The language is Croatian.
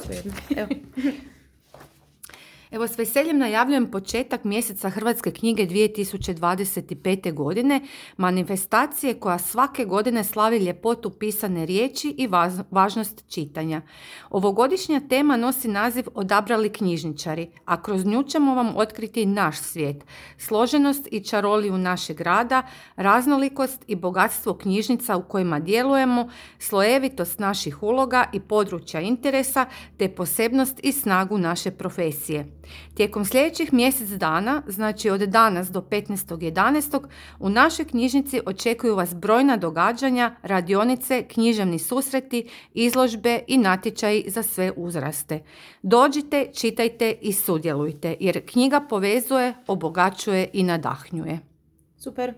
svejedno. Evo. Evo, s veseljem najavljujem početak mjeseca Hrvatske knjige 2025. godine, manifestacije koja svake godine slavi ljepotu pisane riječi i važnost čitanja. Ovogodišnja tema nosi naziv Odabrali knjižničari, a kroz nju ćemo vam otkriti naš svijet, složenost i čaroliju našeg rada, raznolikost i bogatstvo knjižnica u kojima djelujemo, slojevitost naših uloga i područja interesa, te posebnost i snagu naše profesije. Tijekom sljedećih mjesec dana, znači od danas do 15.11. u našoj knjižnici očekuju vas brojna događanja, radionice, književni susreti, izložbe i natječaji za sve uzraste. Dođite, čitajte i sudjelujte, jer knjiga povezuje, obogaćuje i nadahnjuje. Super.